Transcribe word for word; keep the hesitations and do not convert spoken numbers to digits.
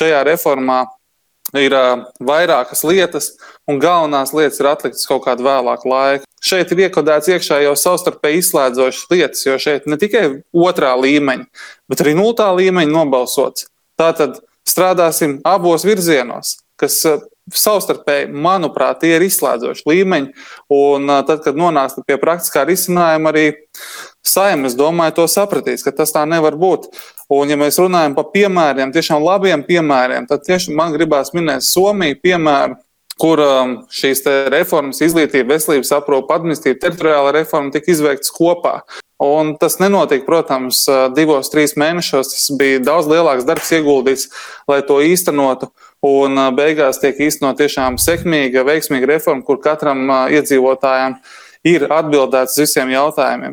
šajā reformā ir uh, vairākas lietas, un galvenās lietas ir atliktas kaut kādu vēlāku laiku. Šeit ir iekodēts iekšā jau savstarpēji izslēdzošas lietas, jo šeit ne tikai otrā līmeņa, bet arī nultā līmeņa nobalsots. Tātad strādāsim abos virzienos, kas uh, savstarpēji, manuprāt, tie ir izslēdzoši līmeņi, un uh, tad, kad nonāks pie praktiskā risinājuma, arī Saeima, es domāju, to sapratīs, ka tas tā nevar būt. Un, ja mēs runājam par piemēriem, tiešām labiem piemēriem, tad tieši man gribās minēt Somiju piemēru, kur um, šīs te reformas, izglītība, veselības aprūpe, administratīva, teritoriāla reforma tika izveiktas kopā. Un tas nenotika, protams, divos, trīs mēnešos, tas bija daudz lielāks darbs ieguldīts, lai to īstenotu, un beigās tiek īstenot tiešām sekmīga, veiksmīga reforma, kur katram iedzīvotājam ir atbildēts visiem jautājumiem.